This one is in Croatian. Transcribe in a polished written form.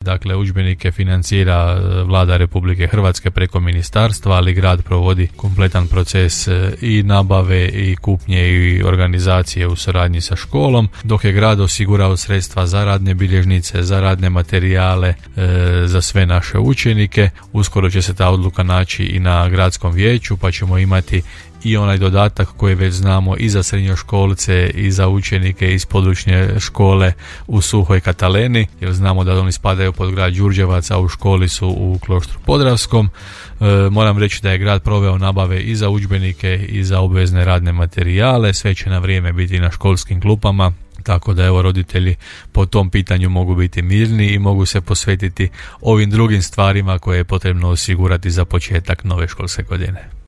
Dakle, udžbenike financira Vlada Republike Hrvatske preko ministarstva, ali grad provodi kompletan proces i nabave i kupnje i organizacije u suradnji sa školom, dok je grad osigurao sredstva za radne bilježnice, za radne materijale, za sve naše učenike. Uskoro će se ta odluka naći i na gradskom vijeću, pa ćemo imati i onaj dodatak koji već znamo i za srednjoškolce i za učenike iz područne škole u Suhoj Kataleni, jer znamo da oni spadaju pod grad Đurđevac, a u školi su u Kloštru Podravskom. Moram reći da je grad proveo nabave i za udžbenike i za obvezne radne materijale, sve će na vrijeme biti na školskim klupama, tako da evo roditelji po tom pitanju mogu biti mirni i mogu se posvetiti ovim drugim stvarima koje je potrebno osigurati za početak nove školske godine.